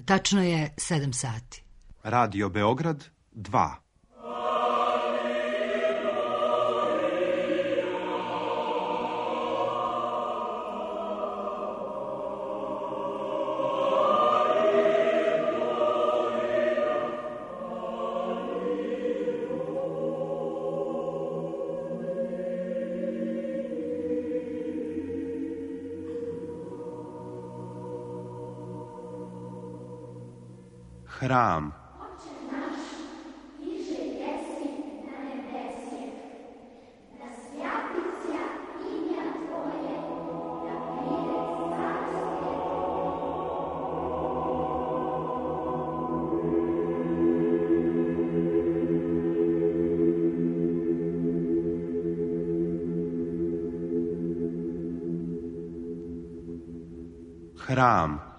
Tačno je 7 sati. Radio Beograd 2. Hram. Hram.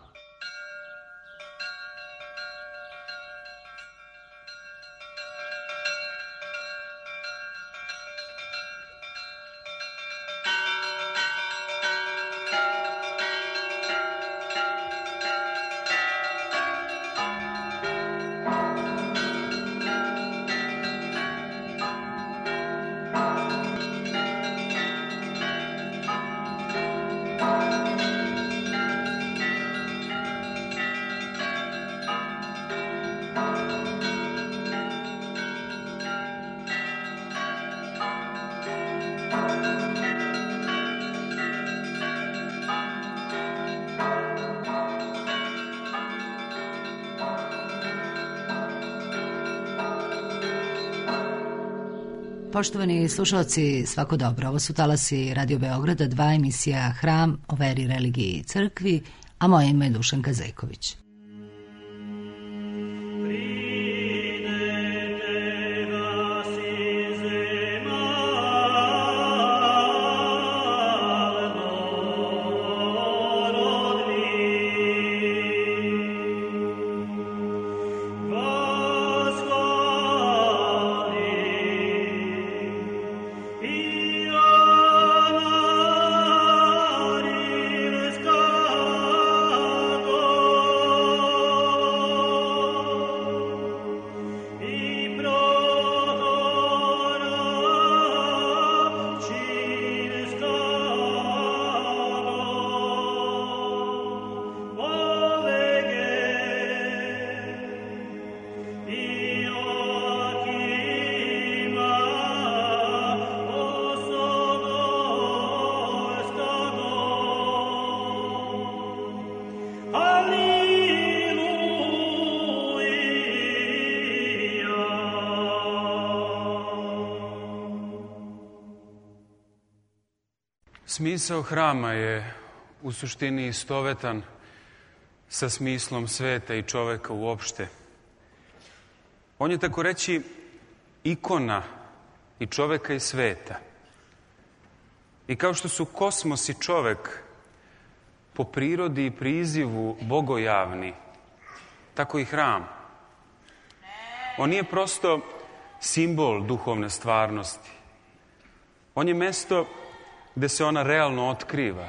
Poštovani slušalci, svako dobro. Ovo su talasi Radio Beograda 2, emisija Hram o veri, religiji i crkvi, a moje ime je Dušanka Zejković. Smisao hrama je u suštini istovetan sa smislom sveta i čoveka uopšte. On je tako reći ikona i čoveka i sveta. I kao što su kosmos i čovek po prirodi i prizivu bogojavni, tako i hram. On nije prosto simbol duhovne stvarnosti. On je mesto gde se ona realno otkriva.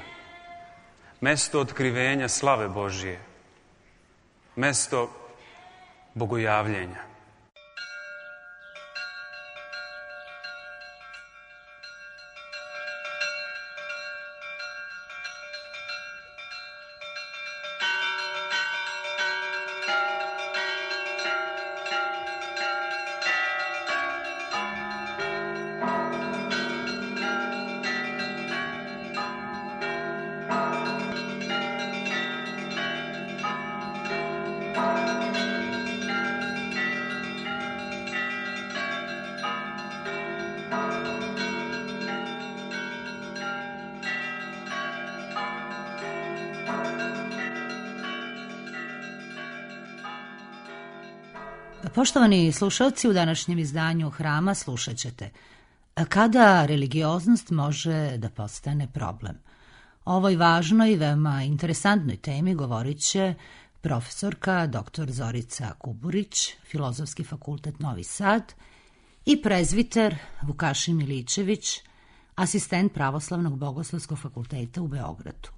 Mesto otkrivenja slave Božije. Mesto bogojavljenja. Poštovani slušalci, u današnjem izdanju Hrama slušat ćete kada religioznost može da postane problem. O ovoj važnoj i veoma interesantnoj temi govorit će profesorka dr. Zorica Kuburić, Filozofski fakultet Novi Sad, i prezviter Vukašin Milićević, asistent Pravoslavnog bogoslovskog fakulteta u Beogradu.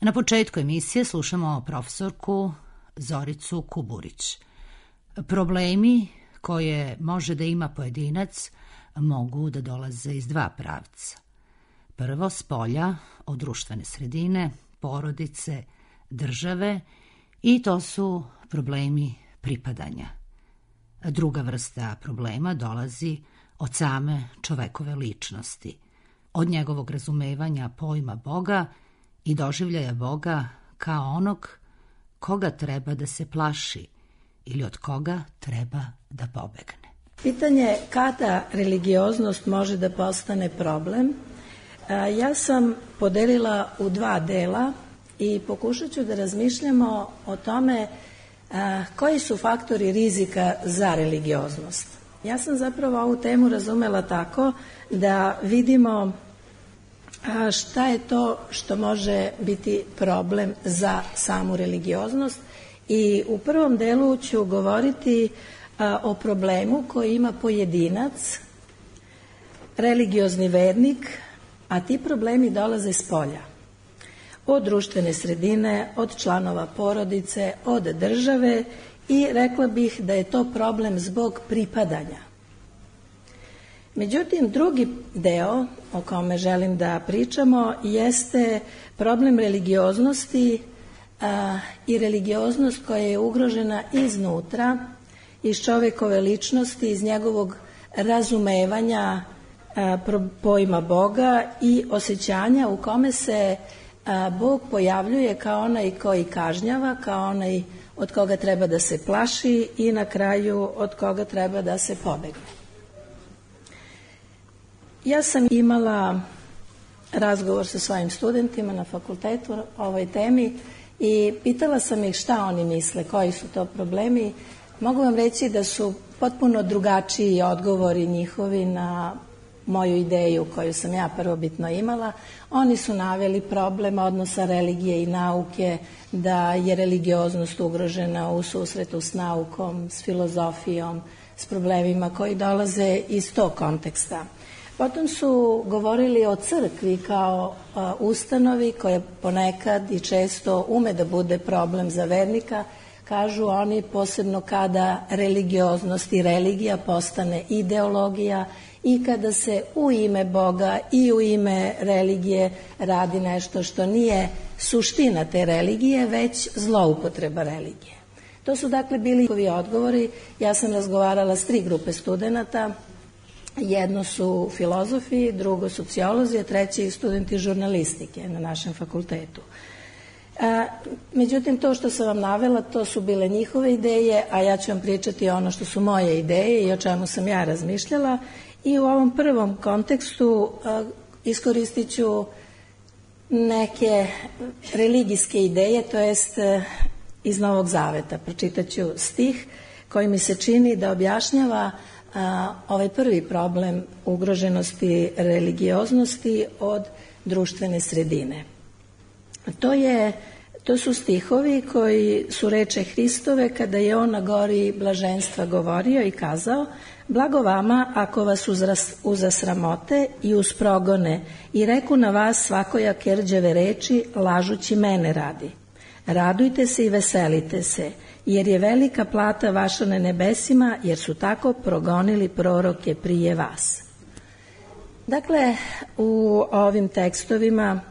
Na početku emisije slušamo profesorku Zoricu Kuburić. Problemi koje može da ima pojedinac mogu da dolaze iz dva pravca. Prvo, spolja, od društvene sredine, porodice, države, i to su problemi pripadanja. Druga vrsta problema dolazi od same čovekove ličnosti, od njegovog razumevanja pojma Boga i doživljaja Boga kao onog koga treba da se plaši ili od koga treba da pobegne. Pitanje kada religioznost može da postane problem, ja sam podelila u dva dela i pokušat ću da razmišljamo o tome koji su faktori rizika za religioznost. Ja sam zapravo ovu temu razumela tako da vidimo šta je to što može biti problem za samu religioznost, i u prvom delu ću govoriti o problemu koji ima pojedinac, religiozni vernik, a ti problemi dolaze s polja. Od društvene sredine, od članova porodice, od države, i rekla bih da je to problem zbog pripadanja. Međutim, drugi deo o kome želim da pričamo jeste problem religioznosti i religioznost koja je ugrožena iznutra, iz čovekove ličnosti, iz njegovog razumevanja pojma Boga i osjećanja u kome se Bog pojavljuje kao onaj koji kažnjava, kao onaj od koga treba da se plaši i na kraju od koga treba da se pobegne. Ja sam imala razgovor sa svojim studentima na fakultetu o ovoj temi i pitala sam ih šta oni misle, koji su to problemi. Mogu vam reći da su potpuno drugačiji odgovori njihovi na moju ideju koju sam ja prvobitno imala. Oni su naveli problem odnosa religije i nauke, da je religioznost ugrožena u susretu s naukom, s filozofijom, s problemima koji dolaze iz tog konteksta. Potom su govorili o crkvi kao ustanovi koja ponekad i često ume da bude problem za vernika. Kažu oni, posebno kada religioznost i religija postane ideologija i kada se u ime Boga i u ime religije radi nešto što nije suština te religije, već zloupotreba religije. To su dakle bili njihovi odgovori. Ja sam razgovarala s 3 grupe studenata. Jedno su filozofi, drugo sociolozi, a treći studenti žurnalistike na našem fakultetu. Međutim, to što sam vam navela, to su bile njihove ideje, a ja ću vam pričati ono što su moje ideje i o čemu sam ja razmišljala. I u ovom prvom kontekstu iskoristit ću neke religijske ideje, to jest iz Novog Zaveta. Pročitat ću stih koji mi se čini da objašnjava ovaj prvi problem ugroženosti religioznosti od društvene sredine. To su stihovi koji su reče Hristove kada je on na gori blaženstva govorio i kazao: blago vama ako vas uzasramote i usprogone i reku na vas svakojake rđave reči lažući mene radi. Radujte se i veselite se, jer je velika plata vaša na nebesima, jer su tako progonili proroke prije vas. Dakle, u ovim tekstovima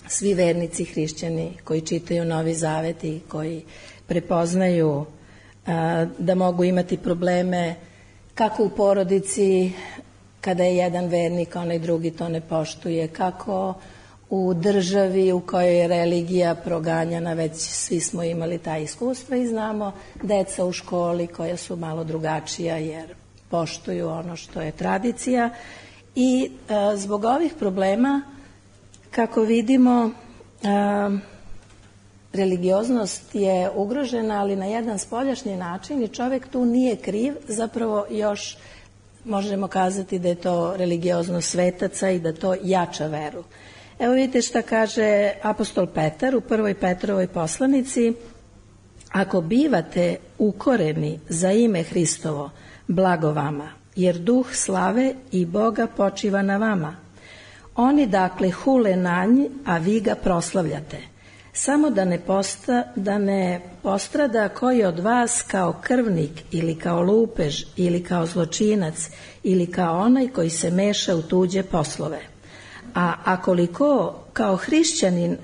svi vernici hrišćani koji čitaju Novi Zavet i koji prepoznaju da mogu imati probleme kako u porodici kada je jedan vernik, onaj drugi to ne poštuje, kako u državi u kojoj je religija proganjana, već svi smo imali ta iskustva i znamo deca u školi koja su malo drugačija jer poštuju ono što je tradicija. I zbog ovih problema, kako vidimo, religioznost je ugrožena, ali na jedan spoljašnji način i čovjek tu nije kriv, zapravo još možemo kazati da je to religioznost svetaca i da to jača veru. Evo vidite šta kaže apostol Petar u 1. Petrovoj poslanici: ako bivate ukoreni za ime Hristovo, blago vama, jer duh slave i Boga počiva na vama. Oni dakle hule na nj, a vi ga proslavljate. samo da ne postrada koji od vas kao krvnik ili kao lupež ili kao zločinac ili kao onaj koji se meša u tuđe poslove. A koliko kao hrišćanin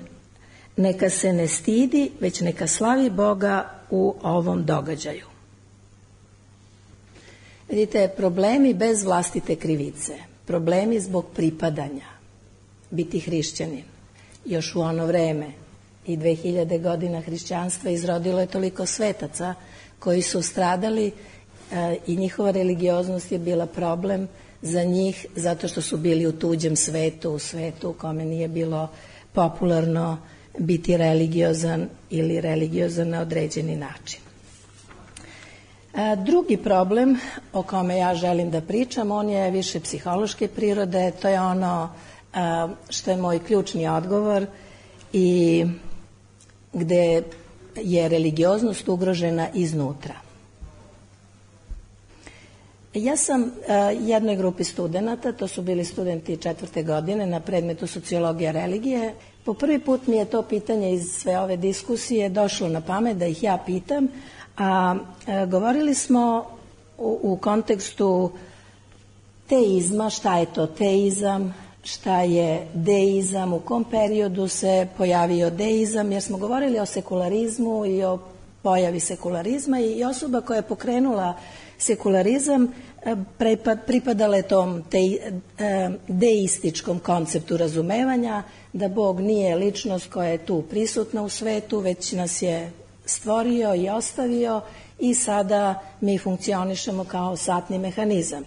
neka se ne stidi, već neka slavi Boga u ovom događaju. Vidite, problemi bez vlastite krivice, problemi zbog pripadanja, biti hrišćanin. Još u ono vreme i 2000 godina hrišćanstva izrodilo je toliko svetaca koji su stradali i njihova religioznost je bila problem za njih zato što su bili u tuđem svetu, u svetu u kome nije bilo popularno biti religiozan ili religiozan na određeni način. Drugi problem o kome ja želim da pričam, on je više psihološke prirode, to je ono što je moj ključni odgovor i gde je religioznost ugrožena iznutra. Ja sam jednoj grupi studenata, to su bili studenti 4. godine na predmetu sociologija religije. Po prvi put mi je to pitanje iz sve ove diskusije došlo na pamet da ih ja pitam, a govorili smo u kontekstu teizma, šta je to teizam, šta je deizam, u kom periodu se pojavio deizam, jer smo govorili o sekularizmu i o pojavi sekularizma i osoba koja je pokrenula sekularizam pripadala je tom deističkom konceptu razumevanja, da Bog nije ličnost koja je tu prisutna u svetu, već nas je stvorio i ostavio i sada mi funkcionišemo kao satni mehanizam.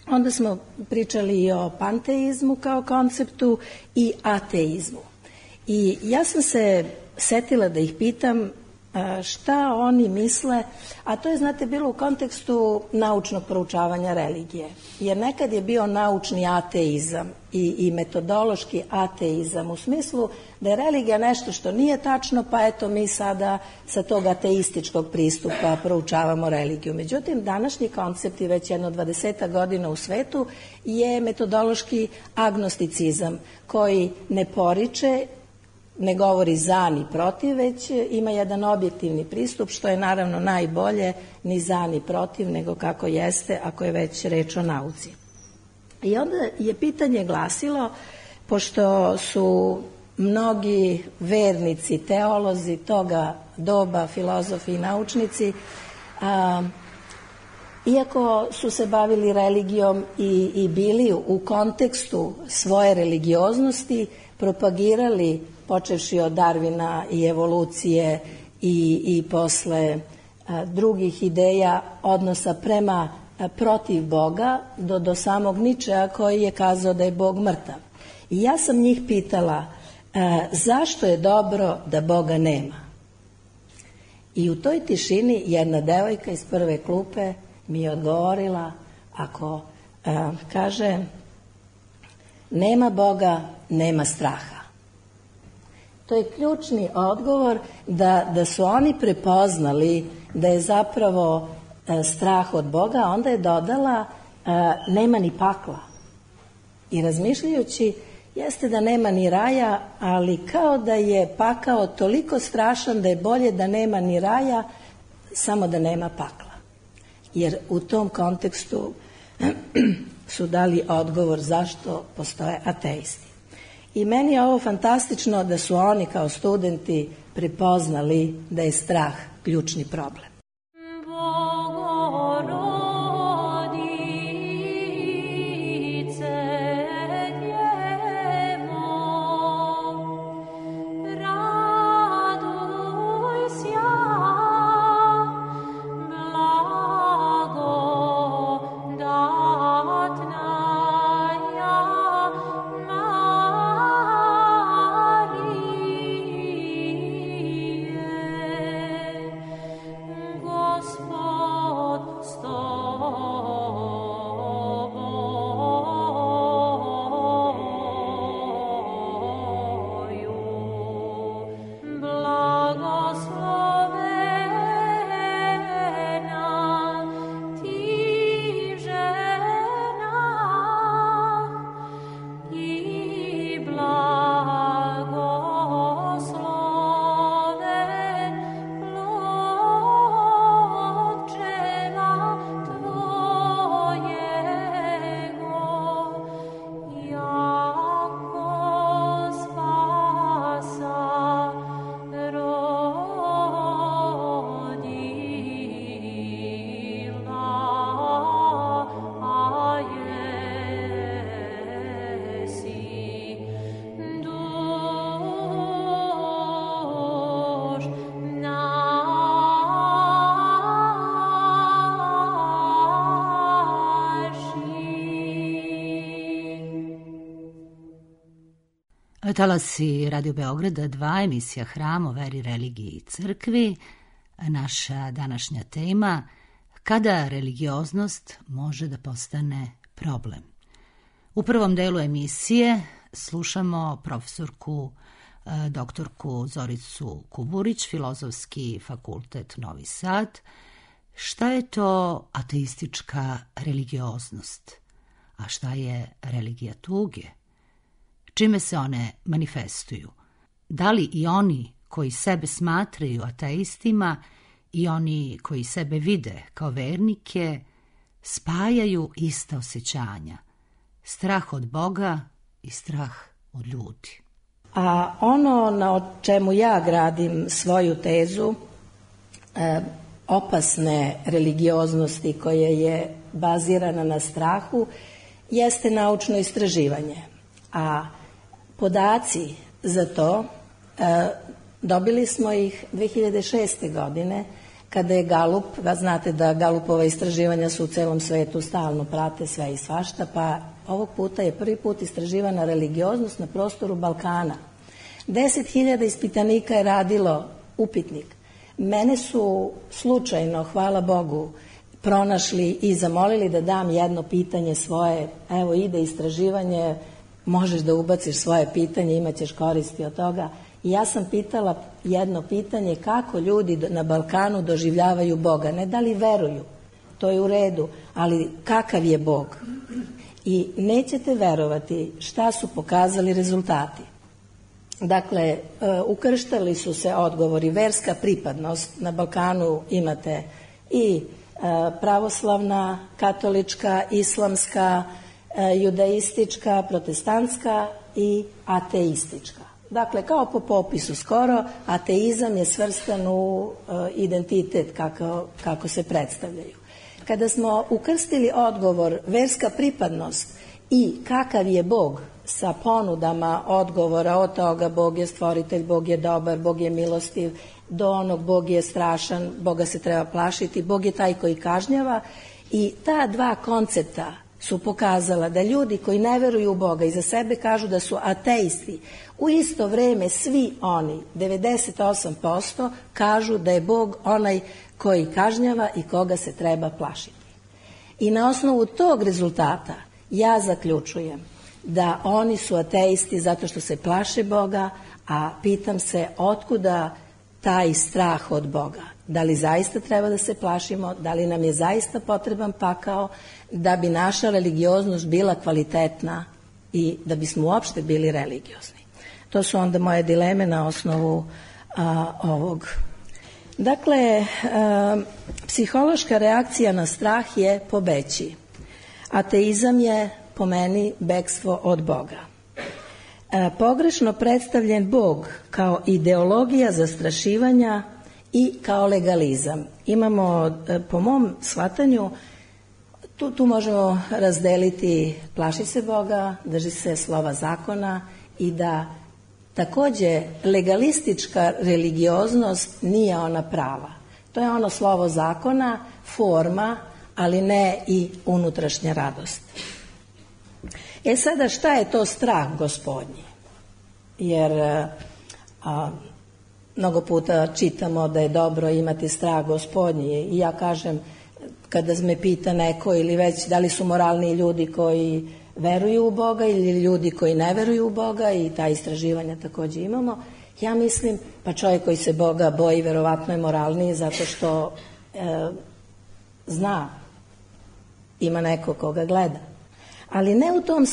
Onda smo pričali i o panteizmu kao konceptu i ateizmu. I ja sam se setila da ih pitam šta oni misle, a to je, znate, bilo u kontekstu naučnog proučavanja religije. Jer nekad je bio naučni ateizam i metodološki ateizam u smislu da je religija nešto što nije tačno, pa eto mi sada sa tog ateističkog pristupa proučavamo religiju. Međutim, današnji koncept i već jedno 20 godina u svetu je metodološki agnosticizam koji ne poriče, ne govori za ni protiv, već ima jedan objektivni pristup, što je naravno najbolje, ni za ni protiv, nego kako jeste, ako je već reč o nauci. I onda je pitanje glasilo, pošto su mnogi vernici, teolozi toga doba, filozofi i naučnici, iako su se bavili religijom i bili u kontekstu svoje religioznosti, propagirali, počevši od Darwina i evolucije i posle drugih ideja odnosa prema protiv Boga do samog Ničea koji je kazao da je Bog mrtav. I ja sam njih pitala zašto je dobro da Boga nema? I u toj tišini jedna devojka iz prve klupe mi je odgovorila, ako kaže nema Boga, nema straha. To je ključni odgovor da su oni prepoznali da je zapravo strah od Boga, onda je dodala nema ni pakla. I razmišljajući, jeste da nema ni raja, ali kao da je pakao toliko strašan da je bolje da nema ni raja, samo da nema pakla. Jer u tom kontekstu su dali odgovor zašto postoje ateisti. I meni je ovo fantastično da su oni kao studenti prepoznali da je strah ključni problem. Talasi Radio Beograda 2, emisija Hram o veri, religiji i crkvi. Naša današnja tema: kada religioznost može da postane problem. U prvom delu emisije slušamo profesorku doktorku Zoricu Kuburić, Filozofski fakultet Novi Sad. Šta je to ateistička religioznost? A šta je religija tuge? Čime se one manifestuju? Da li i oni koji sebe smatraju ateistima i oni koji sebe vide kao vernike spajaju ista osjećanja? Strah od Boga i strah od ljudi. A ono na čemu ja gradim svoju tezu opasne religioznosti koja je bazirana na strahu jeste naučno istraživanje. A podaci za to dobili smo ih 2006. godine kada je Galup, znate da Galupova istraživanja su u celom svetu, stalno prate sve i svašta, pa ovog puta je prvi put istraživana religioznost na prostoru Balkana. 10.000 ispitanika je radilo upitnik. Mene su slučajno, hvala Bogu, pronašli i zamolili da dam jedno pitanje svoje. Evo, ide istraživanje, možeš da ubaciš svoje pitanje, imaćeš koristi od toga. I ja sam pitala jedno pitanje: kako ljudi na Balkanu doživljavaju Boga? Ne da li veruju, to je u redu, ali kakav je Bog? I nećete verovati šta su pokazali rezultati. Dakle, ukrštali su se odgovori: verska pripadnost. Na Balkanu imate i pravoslavna, katolička, islamska, judaistička, protestantska i ateistička. Dakle, kao po popisu skoro, ateizam je svrstan u identitet kako se predstavljaju. Kada smo ukrstili odgovor verska pripadnost i kakav je Bog sa ponudama odgovora od toga Bog je stvoritelj, Bog je dobar, Bog je milostiv, do onog Bog je strašan, Boga se treba plašiti, Bog je taj koji kažnjava, i ta dva koncepta su pokazala da ljudi koji ne veruju u Boga i za sebe kažu da su ateisti, u isto vreme svi oni, 98%, kažu da je Bog onaj koji kažnjava i koga se treba plašiti. I na osnovu tog rezultata ja zaključujem da oni su ateisti zato što se plaše Boga, a pitam se otkuda taj strah od Boga. Da li zaista treba da se plašimo, da li nam je zaista potreban pakao da bi naša religioznost bila kvalitetna i da bismo uopšte bili religiozni. To su onda moje dileme na osnovu ovog. Dakle, psihološka reakcija na strah je pobeći. Ateizam je po meni bekstvo od Boga. Pogrešno predstavljen Bog kao ideologija zastrašivanja i kao legalizam. Imamo, po mom shvatanju, tu možemo razdeliti plaši se Boga, drži se slova zakona, i da takođe legalistička religioznost nije ona prava. To je ono slovo zakona, forma, ali ne i unutrašnja radost. Sada šta je to strah Gospodnji? Jer mnogo puta čitamo da je dobro imati strah Gospodnji, i ja kažem, kada me pita neko ili već da li su moralni ljudi koji veruju u Boga ili ljudi koji ne veruju u Boga, i ta istraživanja takođe imamo, ja mislim, pa čovjek koji se Boga boji verovatno je moralniji zato što zna, ima neko koga gleda. Ali ne u tom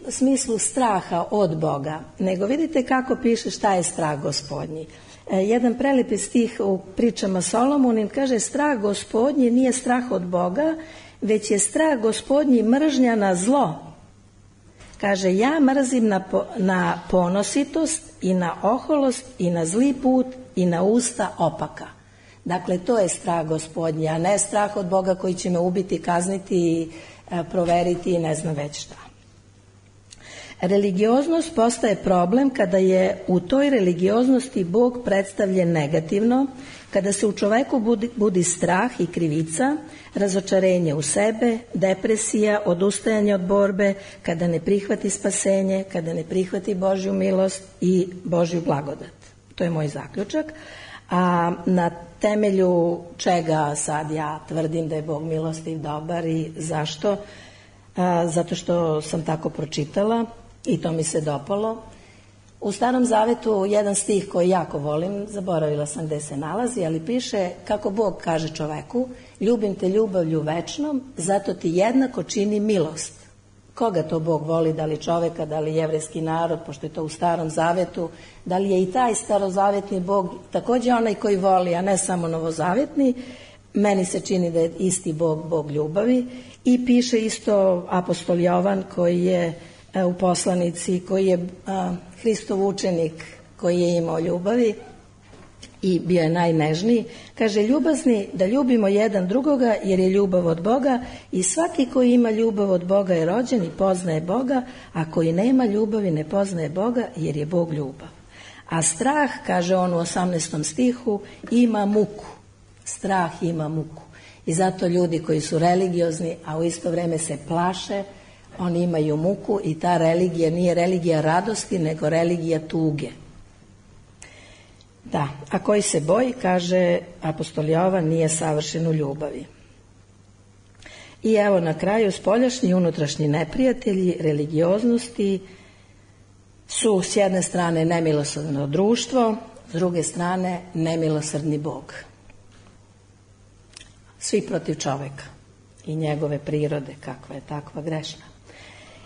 smislu straha od Boga, nego vidite kako piše šta je strah Gospodnji. Jedan prelepi stih u pričama Solomonim kaže: strah Gospodnji nije strah od Boga, već je strah Gospodnji mržnja na zlo. Kaže: ja mrzim na ponositost i na oholost i na zli put i na usta opaka. Dakle, to je strah Gospodnji, a ne strah od Boga koji će me ubiti, kazniti, proveriti i ne znam već šta. Religioznost postaje problem kada je u toj religioznosti Bog predstavljen negativno, kada se u čoveku budi strah i krivica, razočarenje u sebe, depresija, odustajanje od borbe, kada ne prihvati spasenje, kada ne prihvati Božju milost i Božju blagodat. To je moj zaključak. A na temelju čega sad ja tvrdim da je Bog milostiv, dobar i zašto? Zato što sam tako pročitala i to mi se dopalo. U Starom Zavetu jedan stih koji jako volim, zaboravila sam gde se nalazi, ali piše kako Bog kaže čoveku: ljubim te ljubavlju večnom, zato ti jednako čini milost. Koga to Bog voli, da li čoveka, da li jevrejski narod, pošto je to u Starom Zavetu, da li je i taj starozavetni Bog takođe onaj koji voli, a ne samo novozavetni? Meni se čini da je isti Bog, Bog ljubavi. I piše isto apostol Jovan, koji je u poslanici, koji je Hristov učenik, koji je imao ljubavi i bio je najnežniji. Kaže: ljubazni da ljubimo jedan drugoga, jer je ljubav od Boga, i svaki koji ima ljubav od Boga je rođen i poznaje Boga, a koji nema ljubavi ne poznaje Boga, jer je Bog ljubav. A strah, kaže on u 18. stihu, ima muku. Strah ima muku. I zato ljudi koji su religiozni, a u isto vreme se plaše, oni imaju muku, i ta religija nije religija radosti, nego religija tuge. Da, a koji se boji, kaže apostol Jovan, nije savršen u ljubavi. I evo na kraju, spoljašnji i unutrašnji neprijatelji religioznosti su s jedne strane nemilosrdno društvo, s druge strane nemilosrdni Bog. Svi protiv čoveka i njegove prirode, kakva je takva grešna.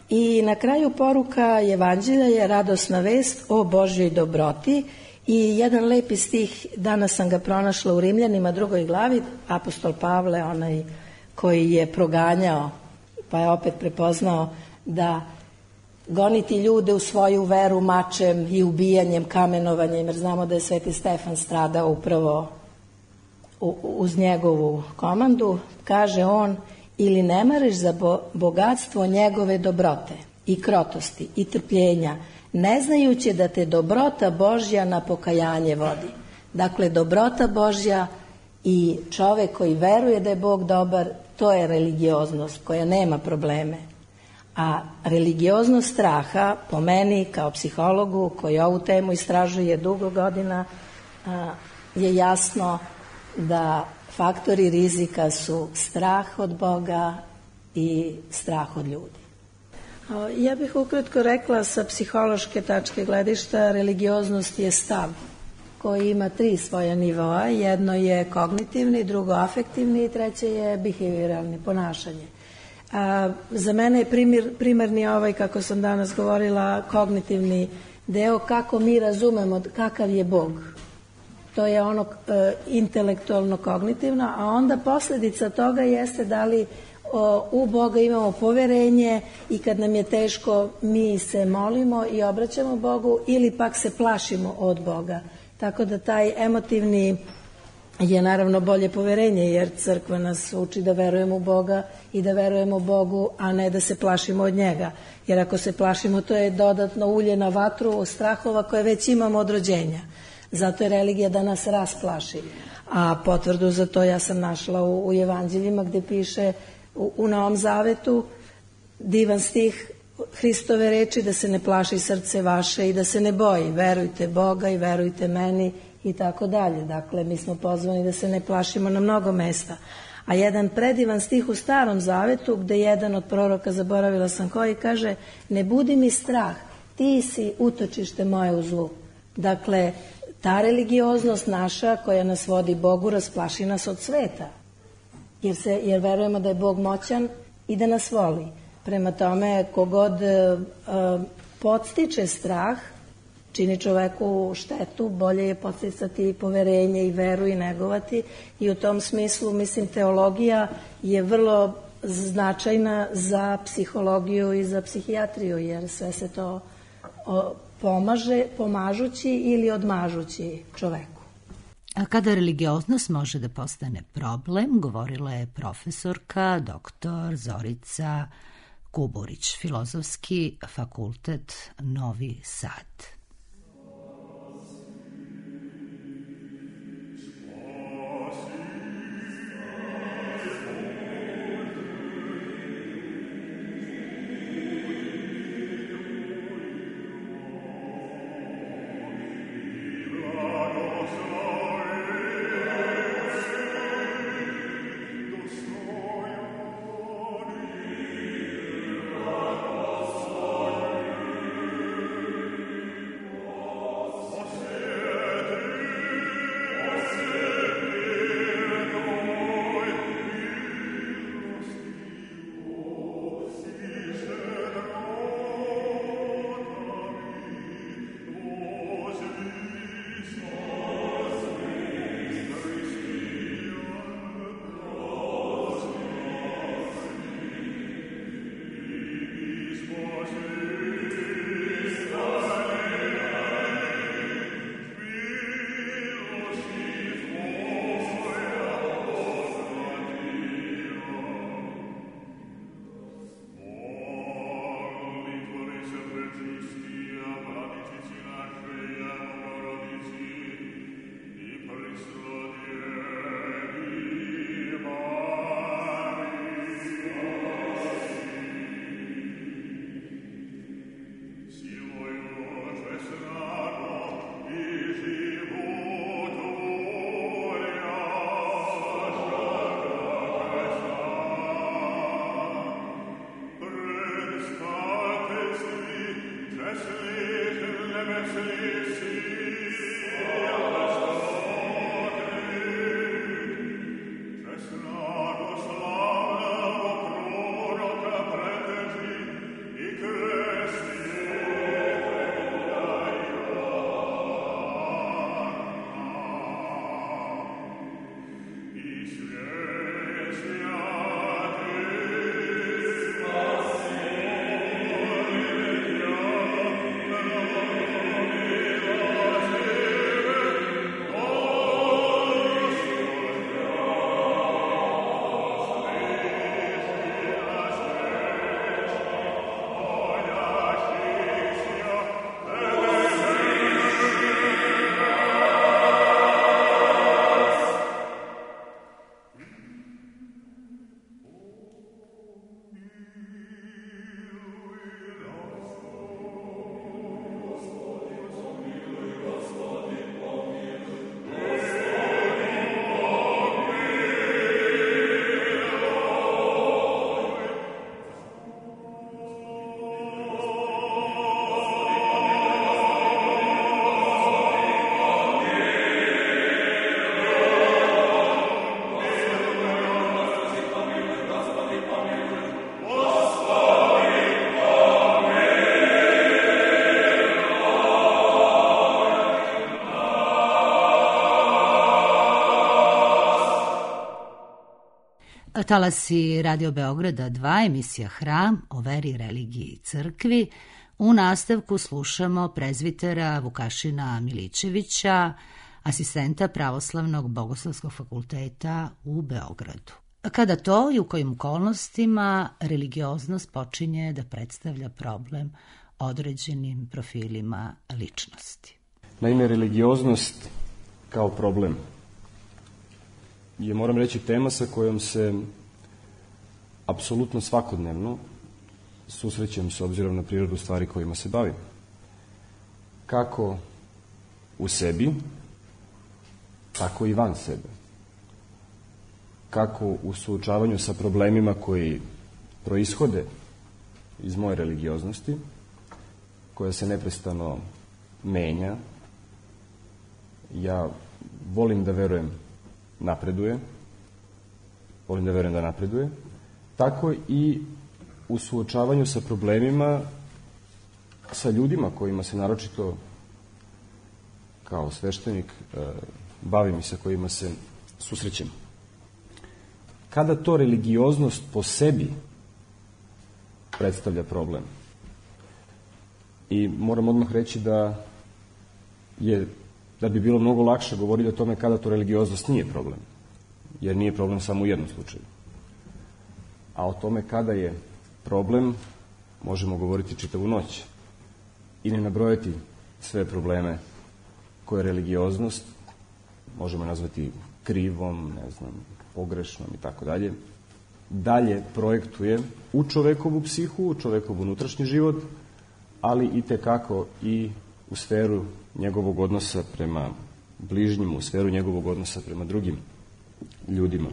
I na kraju poruka Evanđelja je radosna vest o Božjoj dobroti. I jedan lepi stih, danas sam ga pronašla u Rimljanima 2. glavi, apostol Pavle, onaj koji je proganjao, pa je opet prepoznao da goniti ljude u svoju veru mačem i ubijanjem, kamenovanjem, jer znamo da je Sveti Stefan stradao upravo uz njegovu komandu. Kaže on: ili ne mareš za bogatstvo njegove dobrote i krotosti i trpljenja, ne znajući da te dobrota Božja na pokajanje vodi. Dakle, dobrota Božja i čovek koji veruje da je Bog dobar, to je religioznost koja nema probleme. A religioznost straha, po meni kao psihologu koji ovu temu istražuje dugo godina, je jasno da faktori rizika su strah od Boga i strah od ljudi. Ja bih ukratko rekla sa psihološke tačke gledišta, religioznost je stav koji ima 3 svoja nivoa. Jedno je kognitivni, drugo afektivni i treće je behavioralni, ponašanje. Za mene je primarni ovaj, kako sam danas govorila, kognitivni deo, kako mi razumemo kakav je Bog. To je ono intelektualno kognitivno, a onda posljedica toga jeste da li u Boga imamo poverenje i kad nam je teško mi se molimo i obraćamo Bogu, ili pak se plašimo od Boga. Tako da taj emotivni je naravno bolje poverenje, jer crkva nas uči da verujemo u Boga i da verujemo Bogu, a ne da se plašimo od njega. Jer ako se plašimo, to je dodatno ulje na vatru strahova koje već imamo od rođenja. Zato je religija da nas rasplaši. A potvrdu za to ja sam našla u Evanđeljima, gde piše u Novom Zavetu divan stih Hristove reči da se ne plaši srce vaše i da se ne boji. Verujte Boga i verujte meni i tako dalje. Dakle, mi smo pozvani da se ne plašimo na mnogo mesta. A jedan predivan stih u Starom Zavetu, gde jedan od proroka, zaboravila sam koji, kaže: ne budi mi strah, ti si utočište moje u zlu. Dakle, ta religioznost naša koja nas vodi Bogu rasplaši nas od sveta. Jer verujemo da je Bog moćan i da nas voli. Prema tome, kogod podstiče strah, čini čoveku štetu, bolje je podsticati poverenje i veru i negovati. I u tom smislu, mislim, teologija je vrlo značajna za psihologiju i za psihijatriju, jer sve se to pomaže, pomažući ili odmažući čoveku. A kada religioznost može da postane problem, govorila je profesorka, doktor Zorica Kuburić, Filozofski fakultet Novi Sad. Talasi Radio Beograda 2, emisija Hram o veri, religiji i crkvi. U nastavku slušamo prezvitera Vukašina Milićevića, asistenta Pravoslavnog Bogoslovskog fakulteta u Beogradu. Kada to i u kojim okolnostima religioznost počinje da predstavlja problem određenim profilima ličnosti. Naime, religioznost kao problem je, moram reći, tema sa kojom se apsolutno svakodnevno susrećem s obzirom na prirodu stvari kojima se bavim. Kako u sebi, tako i van sebe. Kako u suočavanju sa problemima koji proishode iz moje religioznosti, koja se neprestano menja. Ja volim da verujem da napreduje, tako i u suočavanju sa problemima, sa ljudima kojima se naročito kao sveštenik bavim i sa kojima se susrećem. Kada to religioznost po sebi predstavlja problem, i moram odmah reći da bi bilo mnogo lakše govoriti o tome kada to religioznost nije problem, jer nije problem samo u jednom slučaju. A o tome kada je problem možemo govoriti čitavu noć i ne nabrojati sve probleme koje religioznost možemo nazvati krivom, pogrešnom i tako dalje, dalje projektuje u čovekovu psihu, u čovekov unutrašnji život, ali i tekako i u sferu njegovog odnosa prema bližnjim, u sferu njegovog odnosa prema drugim ljudima.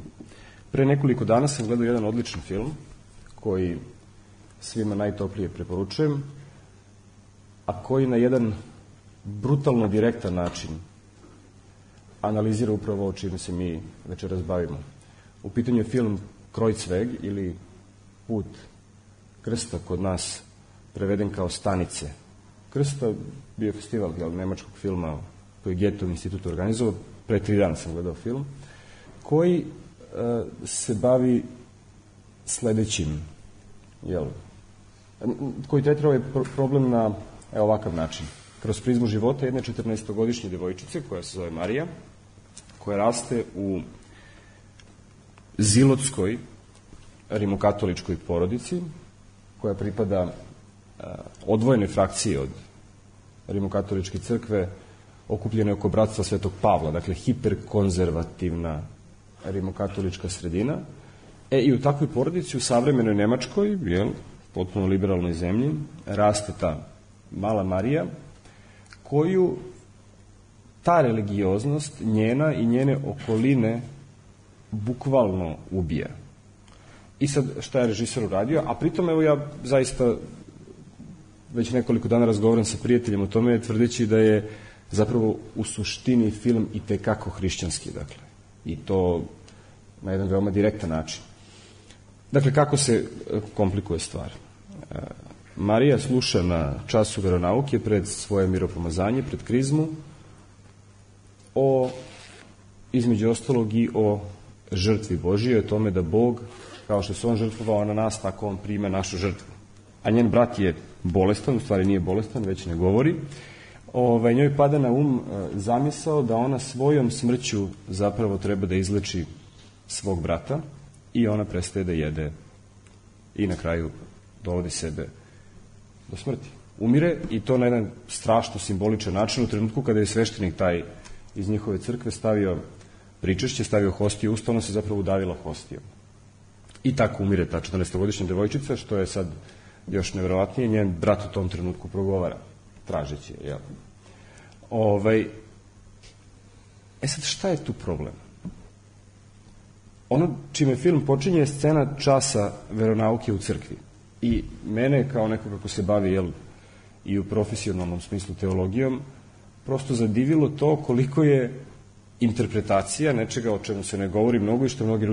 Pre nekoliko dana sam gledao jedan odličan film koji svima najtoplije preporučujem, a koji na jedan brutalno direktan način analizira upravo o čime se mi večeras bavimo. U pitanju je film Kreuzweg ili Put krsta, kod nas preveden kao Stanice krsta, bio festival nemačkog filma koji je Goethov institut organizovao, pre 3 dana sam gledao film, koji se bavi sledećim, koji tretira ovaj problem na ovakav način. Kroz prizmu života jedne 14-godišnje devojčice koja se zove Marija, koja raste u zilotskoj rimokatoličkoj porodici, koja pripada odvojenoj frakciji od rimokatoličke crkve, okupljene oko bratstva Svetog Pavla, dakle hiperkonzervativna rimokatolička sredina. I u takvoj porodici, u savremenoj Nemačkoj, potpuno liberalnoj zemlji, raste ta mala Marija, koju ta religioznost, njena i njene okoline, bukvalno ubija. I sad, šta je režiser uradio? A pritom, evo, ja zaista već nekoliko dana razgovaram sa prijateljem o tome, tvrdeći da je zapravo u suštini film i tekako hrišćanski, dakle. I to na jedan veoma direktan način. Dakle, kako se komplikuje stvar? Marija sluša na času veronauke pred svoje miropomazanje, pred krizmu, između ostalog i o žrtvi Božije, o tome da Bog, kao što se on žrtvovao na nas, tako on prima našu žrtvu. A njen brat je bolestan, u stvari nije bolestan, već ne govori. Njoj pada na zamisao da ona svojom smrću zapravo treba da izleči svog brata i ona prestaje da jede i na kraju dovodi sebe do smrti. Umire, i to na jedan strašno simboličan način, u trenutku kada je sveštenik taj iz njihove crkve stavio pričešće, stavio hostiju usta, ona se zapravo udavila hostijom. I tako umire ta 14-godišnja devojčica, što je sad još nevjerovatnije, njen brat u tom trenutku progovara, tražeći je, sad, šta je tu problem? Ono čime film počinje je scena časa veronauke u crkvi. I mene, kao nekoga ko se bavi, i u profesionalnom smislu teologijom, prosto zadivilo to koliko je interpretacija nečega o čemu se ne govori mnogo i što mnogi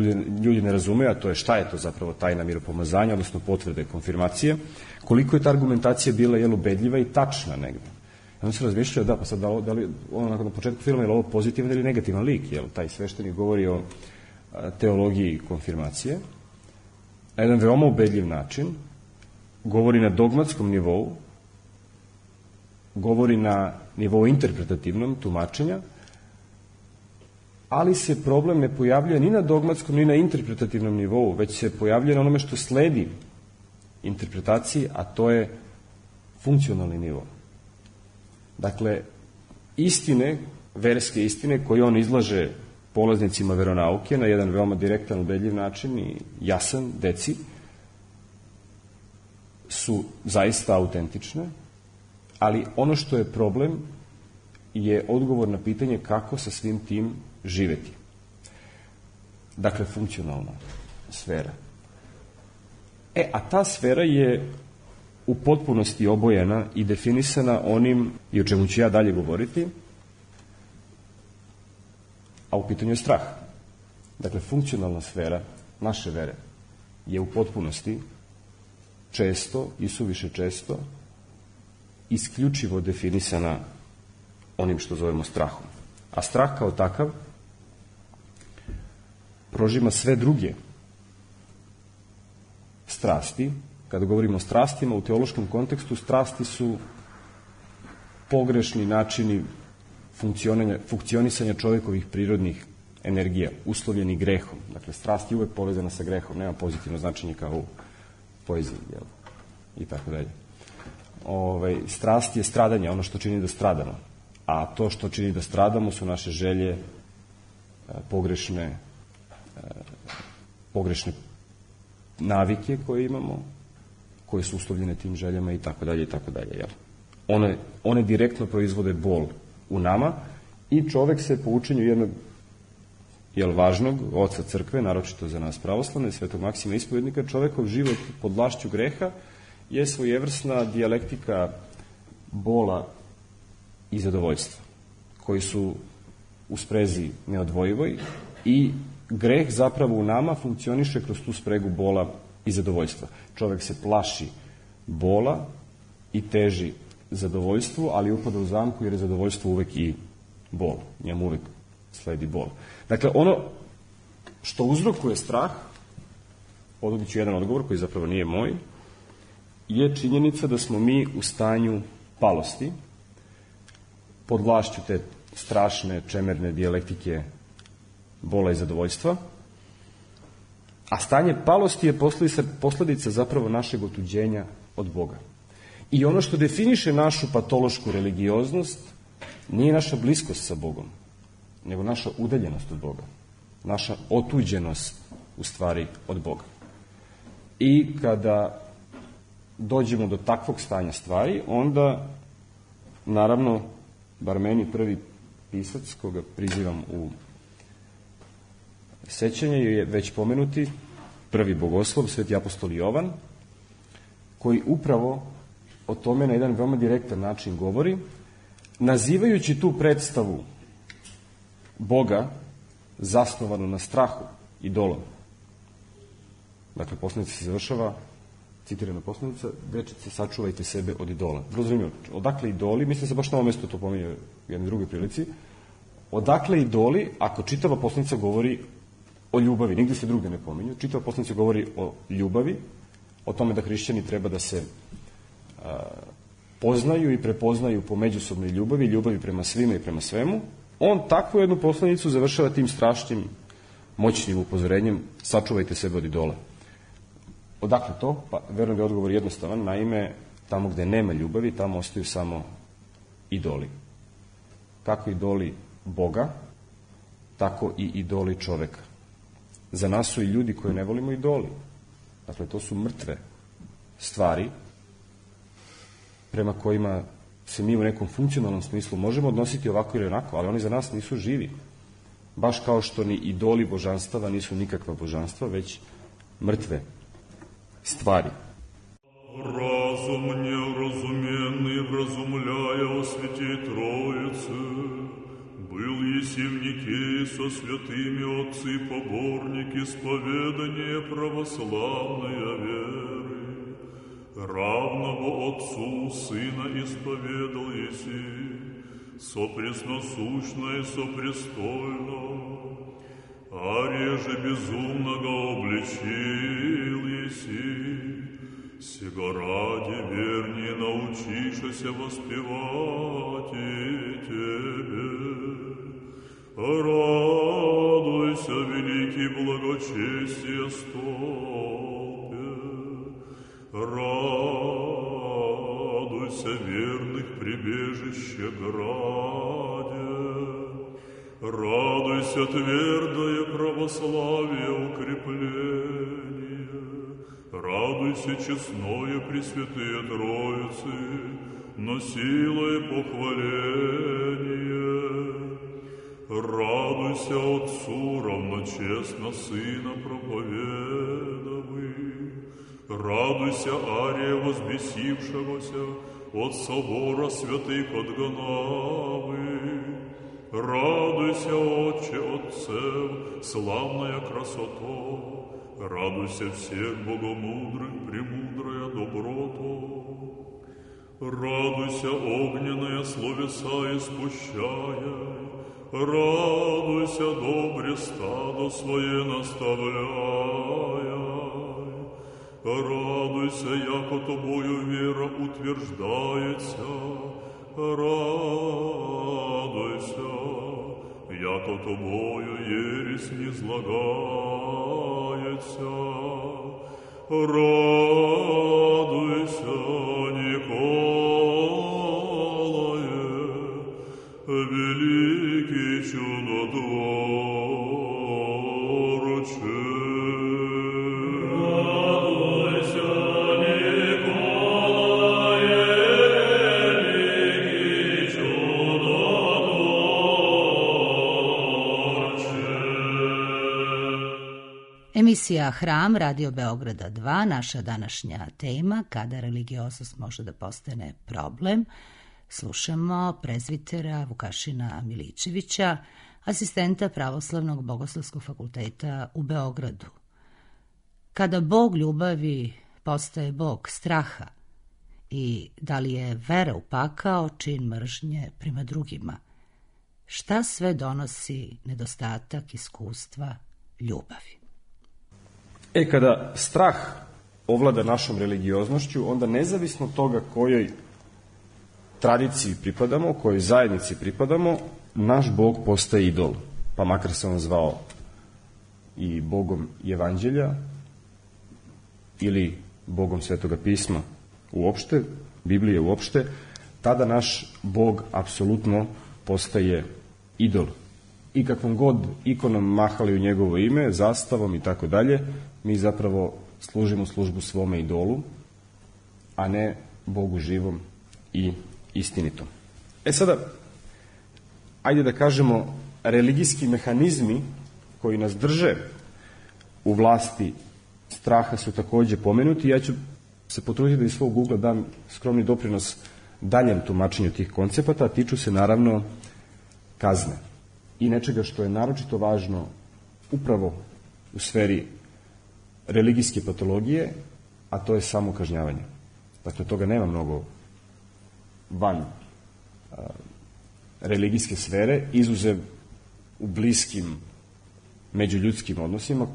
ljudi ne razumeju, a to je šta je to zapravo tajna miropomazanja, odnosno potvrde konfirmacije, koliko je ta argumentacija bila ubedljiva i tačna negde. Onda se razmišljao, pa sad da li na početku filma je li ovo pozitivan ili negativan lik, taj sveštenik govori o teologiji konfirmacije, na jedan veoma ubedljiv način, govori na dogmatskom nivou, govori na nivou interpretativnom tumačenja, ali se problem ne pojavljuje ni na dogmatskom, ni na interpretativnom nivou, već se pojavljuje na onome što sledi interpretaciji, a to je funkcionalni nivo. Dakle, istine, verske istine koje on izlaže polaznicima veronauke na jedan veoma direktan, ubedljiv način i jasan, deci, su zaista autentične, ali ono što je problem je odgovor na pitanje kako sa svim tim živeti. Dakle, funkcionalna sfera. A ta sfera je u potpunosti obojena i definisana onim, i o čemu ću ja dalje govoriti, a u pitanju je strah. Dakle, funkcionalna sfera naše vere je u potpunosti često i suviše često isključivo definisana onim što zovemo strahom. A strah kao takav prožima sve druge strasti. Kada govorimo o strastima, u teološkom kontekstu, strasti su pogrešni načini funkcionisanja čovekovih prirodnih energija, uslovljeni grehom. Dakle, strast je uvek povezana sa grehom, nema pozitivno značenje kao u poeziji, jel? I tako dalje. Strast je stradanje, ono što čini da stradamo. A to što čini da stradamo su naše želje, pogrešne navike koje imamo, koje su uslovljene tim željama i tako dalje i tako dalje. One direktno proizvode bol u nama i čovek se po učenju jednog važnog oca crkve, naročito za nas pravoslavne, svetog Maksima Ispovednika, čovekov život pod vlašću greha je svojevrsna dijalektika bola i zadovoljstva, koji su u sprezi neodvojivoj i greh zapravo u nama funkcioniše kroz tu spregu bola i zadovoljstva. Čovek se plaši bola i teži zadovoljstvu, ali upada u zamku jer je zadovoljstvo uvek i bol. Njemu uvek sledi bol. Dakle, ono što uzrokuje strah, odobit ću jedan odgovor koji zapravo nije moj, je činjenica da smo mi u stanju palosti, pod vlašću te strašne, čemerne dijalektike bola i zadovoljstva, a stanje palosti je posledica zapravo našeg otuđenja od Boga. I ono što definiše našu patološku religioznost nije naša bliskost sa Bogom, nego naša udaljenost od Boga, naša otuđenost u stvari od Boga. I kada dođemo do takvog stanja stvari, onda, naravno, bar meni prvi pisac, koga prizivam u sećanje, je već pomenuti prvi bogoslov, sveti apostol Jovan, koji upravo o tome na jedan veoma direktan način govori, nazivajući tu predstavu Boga zasnovanu na strahu, idolom. Dakle, poslanica se završava, citirana poslanica, dečice, sačuvajte sebe od idola. Vrlo zanimljivo. Odakle idoli? Mislim se baš na ovom mestu to pominje u jednoj drugoj prilici. Odakle idoli, ako čitava poslanica govori o ljubavi, nigde se druge ne pominju, čitava poslanica govori o ljubavi, o tome da hrišćani treba da se poznaju i prepoznaju po međusobnoj ljubavi prema svima i prema svemu, on takvu jednu poslanicu završava tim strašnim, moćnim upozorenjem: sačuvajte sebe od idola. Odakle to? Pa, verujem da je odgovor jednostavan. Naime, tamo gde nema ljubavi, tamo ostaju samo idoli. Kako idoli Boga, tako i idoli čoveka. Za nas su i ljudi koje ne volimo idoli. Dakle, to su mrtve stvari prema kojima se mi u nekom funkcionalnom smislu možemo odnositi ovako ili onako, ali oni za nas nisu živi. Baš kao što ni idoli božanstava nisu nikakva božanstva, već mrtve stvari. Разум неразуменный, вразумляя о святой Троице, был еси в Никее со святыми отцы поборники исповедания православная веры. Равного Отцу Сына исповедал еси, сопресносущно и сопрестольно, а реже безумного обличил еси, сего ради вернее научишься воспевать и тебе. Радуйся, великий благочестие столпе, радуйся, верных прибежище граде, радуйся, твердое православие укрепление, радуйся, честное Пресвятые Троицы, носилое похваление, радуйся Отцу равночестно Сына проповедовый, радуйся, Ария возбесившегося от собора святых отгонавы, радуйся, Отче Отцев, славная красота, радуйся всех богомудрых, премудрая доброто, радуйся, огненная словеса испущая, радуйся, добре стадо свое наставляя, радуйся, яко тобою вера утверждается, радуйся, яко тобою ересь низлагается, Радуйся, Николае, великий чудотворче. Радуйся, Николае, великий чудотворче. Emisija Hram Radio Beograda 2, naša današnja tema, kada religioznost može da postane problem. Slušamo prezvitera Vukašina Milićevića, asistenta Pravoslavnog bogoslovskog fakulteta u Beogradu. Kada Bog ljubavi postaje Bog straha i da li je vera u pakao čin mržnje prema drugima? Šta sve donosi nedostatak iskustva ljubavi? Kada strah ovlada našom religioznošću, onda nezavisno od toga kojoj tradiciji pripadamo, kojoj zajednici pripadamo, naš Bog postaje idol. Pa makar se on zvao i Bogom Evanđelja ili Bogom Svetoga pisma uopšte, Biblije uopšte, tada naš Bog apsolutno postaje idol. I kakvom god ikonom mahali u njegovo ime, zastavom i tako dalje, mi zapravo služimo službu svome idolu, a ne Bogu živom i istinitom. Sada, ajde da kažemo, religijski mehanizmi koji nas drže u vlasti straha su takođe pomenuti. Ja ću se potruditi da iz svog ugla dam skromni doprinos daljem tumačenju tih koncepata, a tiču se naravno kazne i nečega što je naročito važno upravo u sferi religijske patologije, a to je samo kažnjavanje. Dakle, toga nema mnogo van religijske sfere, izuzev u bliskim međuljudskim odnosima,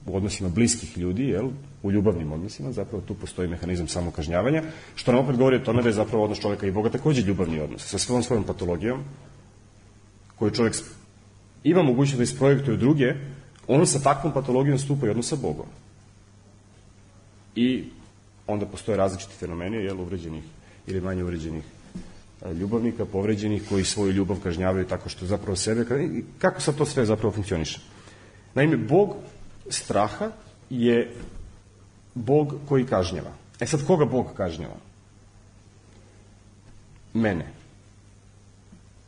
u odnosima bliskih ljudi, u ljubavnim odnosima, zapravo tu postoji mehanizam samokažnjavanja, što nam opet govori o tome da je zapravo odnos čoveka i Boga takođe ljubavni odnos, sa svom svojom patologijom, koju čovjek ima mogućnost da isprojektuje u druge, on sa takvom patologijom stupa i odnos sa Bogom. I onda postoje različiti fenomeni, uvređenih ili manje uvređenih ljubavnika, povređenih, koji svoju ljubav kažnjavaju tako što zapravo sebe... Kako sad to sve zapravo funkcioniše? Naime, Bog straha je Bog koji kažnjava. Sad, koga Bog kažnjava? Mene.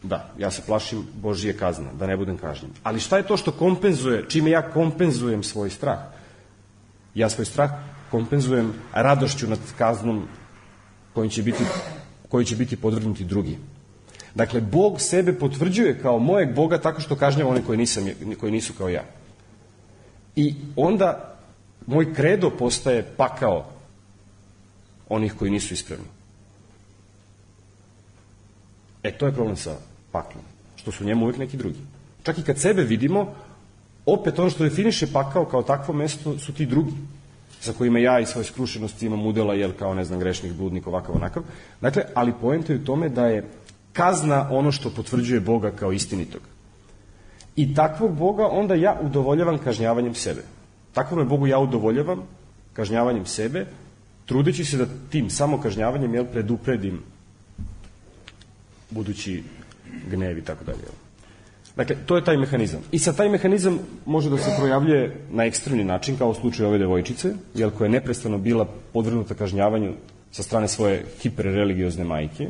Da, ja se plašim Božije kazne, da ne budem kažnjen. Ali šta je to što kompenzuje, čime ja kompenzujem svoj strah? Ja svoj strah kompenzujem radošću nad kaznom koji će biti podvrgnuti drugi. Dakle, Bog sebe potvrđuje kao mojeg Boga tako što kažnjava one koji nisu kao ja. I onda moj kredo postaje pakao onih koji nisu ispravni. To je problem sa paklom, što su njemu uvijek neki drugi. Čak i kad sebe vidimo, opet ono što definiše pakao kao takvo mesto su ti drugi, sa kojima ja i svoje skrušenosti imam udela, kao, ne znam, grešnih, bludnik, ovakav, onakav. Dakle, ali poenta je u tome da je kazna ono što potvrđuje Boga kao istinitog. I takvog Boga onda ja udovoljavam kažnjavanjem sebe. Takvom Bogu ja udovoljavam kažnjavanjem sebe, trudeći se da tim samokažnjavanjem predupredim budući gnev i tako dalje. Dakle, to je taj mehanizam. I sad taj mehanizam može da se projavljuje na ekstremni način, kao u slučaju ove devojčice, koja je neprestano bila podvrgnuta kažnjavanju sa strane svoje hiperreligiozne majke,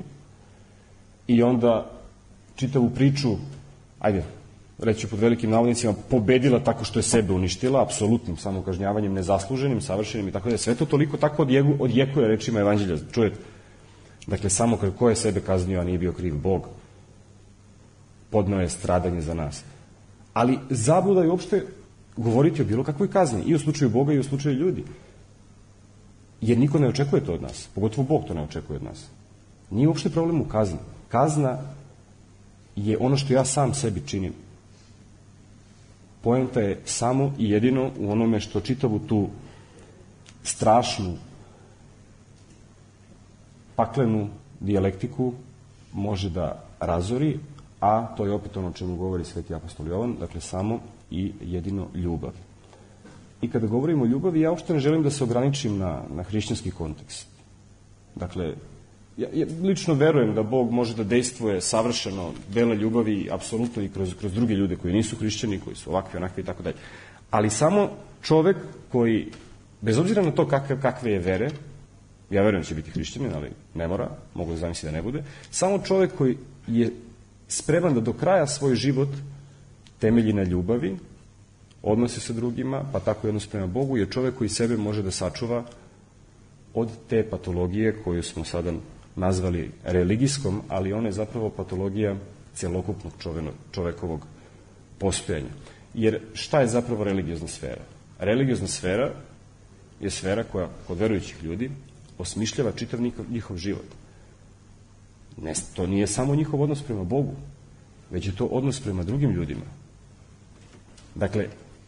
i onda čitavu priču, ajde, reći pod velikim navodnicima, pobedila tako što je sebe uništila, apsolutnim samokažnjavanjem, nezasluženim, savršenim i tako da. Sve to toliko tako odjekuje rečima Evanđelja. Čujete? Dakle, samo ko je sebe kaznio, a nije bio kriv? Bog. Podneo je stradanje za nas. Ali zabluda je uopšte govoriti o bilo kakvoj kazni, i u slučaju Boga i u slučaju ljudi. Jer niko ne očekuje to od nas, pogotovo Bog to ne očekuje od nas. Nije uopšte problem u kazni. Kazna je ono što ja sam sebi činim. Poenta je samo i jedino u onome što čitavu tu strašnu, paklenu dijalektiku može da razori, a to je opet ono o čemu govori sveti apostol Jovan, dakle samo i jedino ljubav. I kada govorimo o ljubavi, ja uopšte ne želim da se ograničim na hrišćanski kontekst. Dakle, ja lično verujem da Bog može da dejstvuje savršeno dela ljubavi apsolutno i kroz druge ljude koji nisu hrišćani, koji su ovakvi, onakvi i tako dalje. Ali samo čovek koji, bez obzira na to kakve je vere, ja verujem da će biti hrišćanin, ali ne mora, mogu da zamisli da ne bude, samo čovek koji je spreman da do kraja svoj život temelji na ljubavi, odnose sa drugima, pa tako i odnos prema Bogu, je čovek koji sebe može da sačuva od te patologije koju smo sada nazvali religijskom, ali ona je zapravo patologija celokupnog čovekovog postojanja. Jer šta je zapravo religiozna sfera? Religiozna sfera je sfera koja kod verujućih ljudi osmišljava čitav njihov život. To nije samo njihov odnos prema Bogu, već je to odnos prema drugim ljudima. Dakle,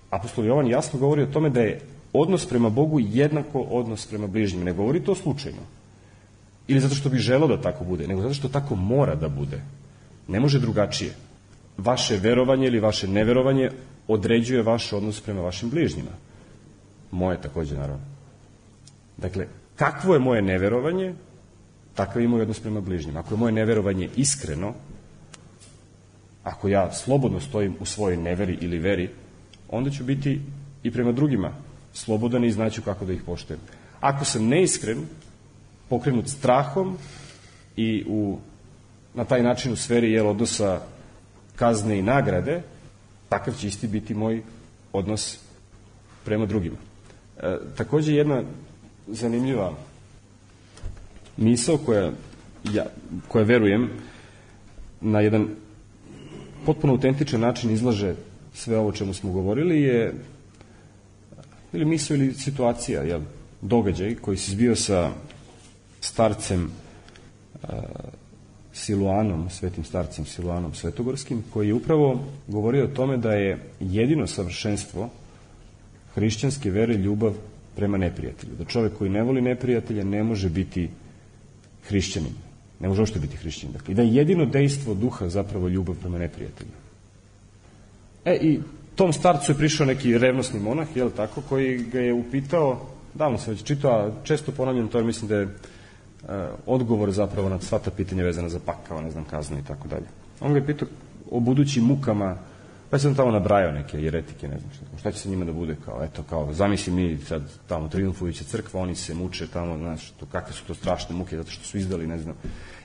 apostol Jovan jasno govori o tome da je odnos prema Bogu jednako odnos prema bližnjima. Ne govori to slučajno. Ili zato što bi želeo da tako bude, nego zato što tako mora da bude. Ne može drugačije. Vaše verovanje ili vaše neverovanje određuje vaš odnos prema vašim bližnjima. Moje takođe, naravno. Dakle, kakvo je moje neverovanje, takav je moj odnos prema bližnjima. Ako je moje neverovanje iskreno, ako ja slobodno stojim u svojoj neveri ili veri, onda ću biti i prema drugima slobodan i znaću kako da ih poštujem. Ako sam neiskren, pokrenut strahom i na taj način u sferi odnosa kazne i nagrade, takav će isti biti moj odnos prema drugima. Takođe jedna zanimljiva misao koja verujem na jedan potpuno autentičan način izlaže sve ovo o čemu smo govorili je ili misao ili situacija, događaj koji se zbio sa starcem Siluanom, svetim starcem Siluanom Svetogorskim, koji je upravo govorio o tome da je jedino savršenstvo hrišćanske vere ljubav prema neprijatelju. Da čovek koji ne voli neprijatelja ne može biti hrišćanin. Ne može uopšte biti hrišćanin. Dakle, i da je jedino dejstvo duha zapravo ljubav prema neprijatelju. I tom starcu je prišao neki revnosni monah, tako, koji ga je upitao, davno sam već čitao, a često ponavljam to, jer mislim da je odgovor zapravo na sva ta pitanja vezana za pakao, ne znam, kaznu i tako dalje. On ga je pitao o budućim mukama, pa sam tamo nabrajao neke jeretike, ne znam šta će se njima da bude, kao, zamisli mi sad tamo triumfujuća crkva, oni se muče tamo, znaš, kakve su to strašne muke, zato što su izdali, ne znam.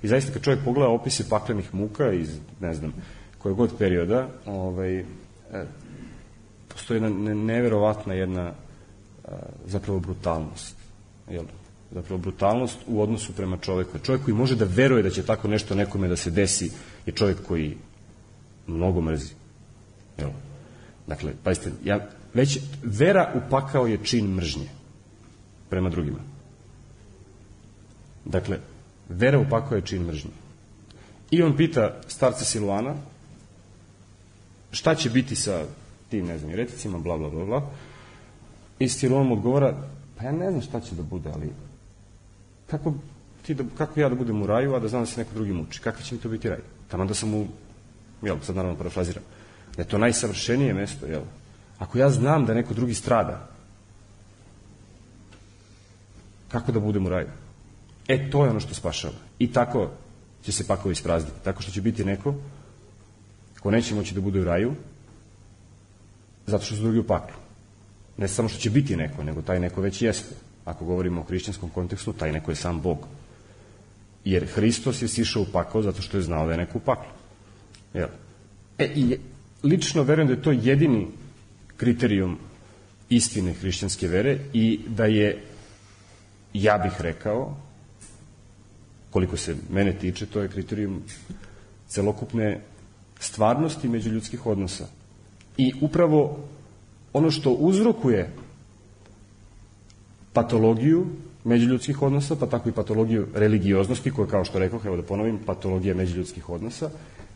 I zaista kad čovjek pogleda opise paklenih muka iz, ne znam, kojeg god perioda, postoji jedna neverovatna jedna zapravo brutalnost, zapravo brutalnost u odnosu prema čoveku. Čovjek koji može da veruje da će tako nešto nekome da se desi je čovjek koji mnogo mrzi. Dakle, pazite, već vera u pakao je čin mržnje prema drugima. Dakle, vera u pakao je čin mržnje. I on pita starca Siluana šta će biti sa tim, ne znam, jereticima, bla, bla, bla, bla. I Siluan mu odgovara, pa ja ne znam šta će da bude, ali kako ja da budem u raju, a da znam da se neko drugi muči? Kako će mi to biti raj? Taman da sam sad naravno parafraziram, da je to najsavršenije mesto, Ako ja znam da neko drugi strada, kako da budem u raju? To je ono što spašava. I tako će se pakao isprazniti. Tako što će biti neko ko neće moći da bude u raju, zato što su drugi u paklu. Ne samo što će biti neko, nego taj neko već jeste. Ako govorimo o hrišćanskom kontekstu, taj neko je sam Bog. Jer Hristos je sišao u pakao zato što je znao da je neko u paklu. I lično verujem da je to jedini kriterijum istine hrišćanske vere i da je, ja bih rekao, koliko se mene tiče, to je kriterijum celokupne stvarnosti međuljudskih odnosa. I upravo ono što uzrokuje patologiju međuljudskih odnosa, pa tako i patologiju religioznosti, koja, kao što rekao, evo da ponovim, patologija međuljudskih odnosa,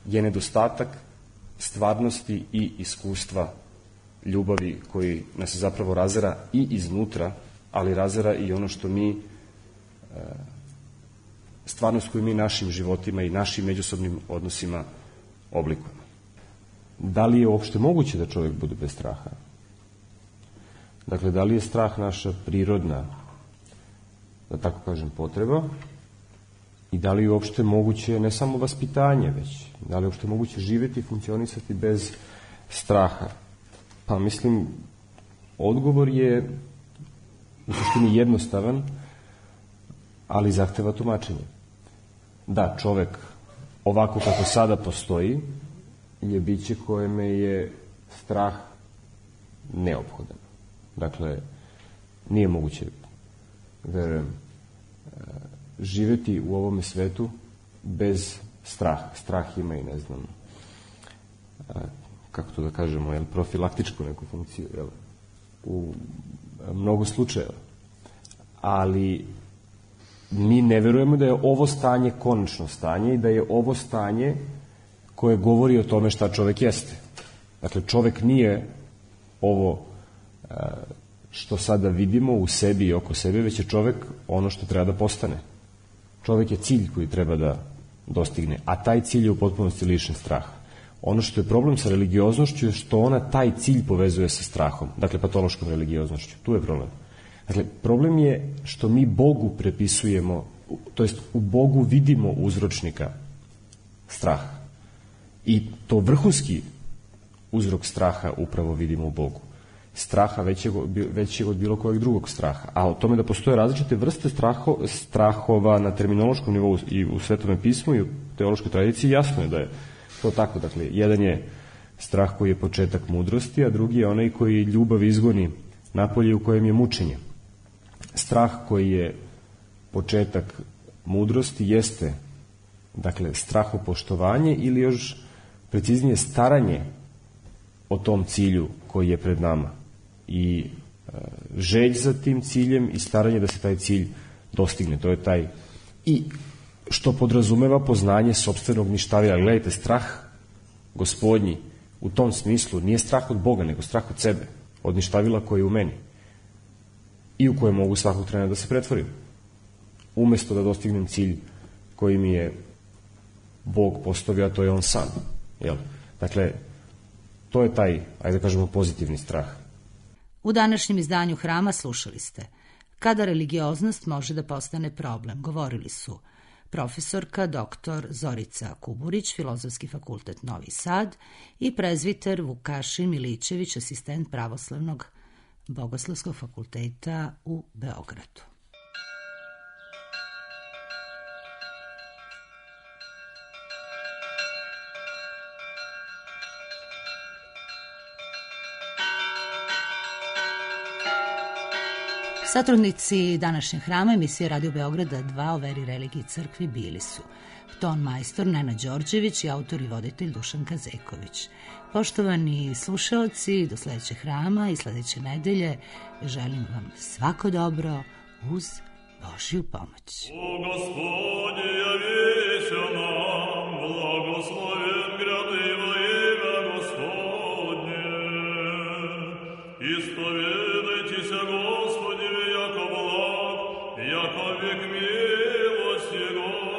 je nedostatak stvarnosti i iskustva ljubavi koji nas zapravo razara i iznutra, ali razara i ono što mi, stvarnost koju mi našim životima i našim međusobnim odnosima oblikujemo. Da li je uopšte moguće da čovjek bude bez straha? Dakle, da li je strah naša prirodna, da tako kažem, potreba i da li je uopšte moguće ne samo vaspitanje, već da li je uopšte moguće živjeti i funkcionisati bez straha? Pa mislim, odgovor je u suštini jednostavan, ali zahteva tumačenje. Da, čovek ovako kako sada postoji je biće kojeme je strah neophodan. Dakle, nije moguće, verujem, živjeti u ovome svetu bez straha. Strah ima i, ne znam, kako to da kažemo, profilaktičku neku funkciju, u mnogo slučajeva. Ali mi ne verujemo da je ovo stanje konačno stanje i da je ovo stanje koje govori o tome šta čovek jeste. Dakle, čovek nije ovo što sada vidimo u sebi i oko sebe, već je čovek ono što treba da postane. Čovek je cilj koji treba da dostigne, a taj cilj je u potpunosti lišen straha. Ono što je problem sa religioznošću je što ona taj cilj povezuje sa strahom, dakle patološkom religioznošću. Tu je problem. Dakle, problem je što mi Bogu prepisujemo, to jest u Bogu vidimo uzročnika straha. I to vrhunski uzrok straha upravo vidimo u Bogu. Straha većeg od bilo kojeg drugog straha. A o tome da postoje različite vrste strahova na terminološkom nivou i u Svetome pismu i u teološkoj tradiciji, jasno je da je to tako. Dakle, jedan je strah koji je početak mudrosti, a drugi je onaj koji ljubav izgoni napolje u kojem je mučenje. Strah koji je početak mudrosti jeste, dakle, strahopoštovanje ili još preciznije staranje o tom cilju koji je pred nama i želj za tim ciljem i staranje da se taj cilj dostigne. To je taj, i što podrazumeva poznanje sopstvenog ništavila. Gledajte, strah gospodnji u tom smislu nije strah od Boga, nego strah od sebe, od ništavila koji je u meni i u koje mogu svakog trena da se pretvorim, umesto da dostignem cilj koji mi je Bog postavio, a to je on sam. Jel? Dakle, to je taj, ajde da kažemo, pozitivni strah. U današnjem izdanju Hrama slušali ste Kada religioznost može da postane problem. Govorili su profesorka dr. Zorica Kuburić, Filozofski fakultet Novi Sad, i prezviter Vukašin Milićević, asistent Pravoslavnog Bogoslovskog fakulteta u Beogradu. Satrudnici današnjeg Hrama emisije Radio Beograda 2 o veri, religiji i crkvi bili su ton majstor Nenad Đorđević i autor i voditelj Dušan Kazeković. Poštovani slušaoci, do sledećeg Hrama i sledeće nedelje želim vam svako dobro uz Božju pomoć. O Gospodi, javися nam, blagosloven gradivo ime Gospodnje. Isповедайте се Господи, яко благ, яко век милость Его.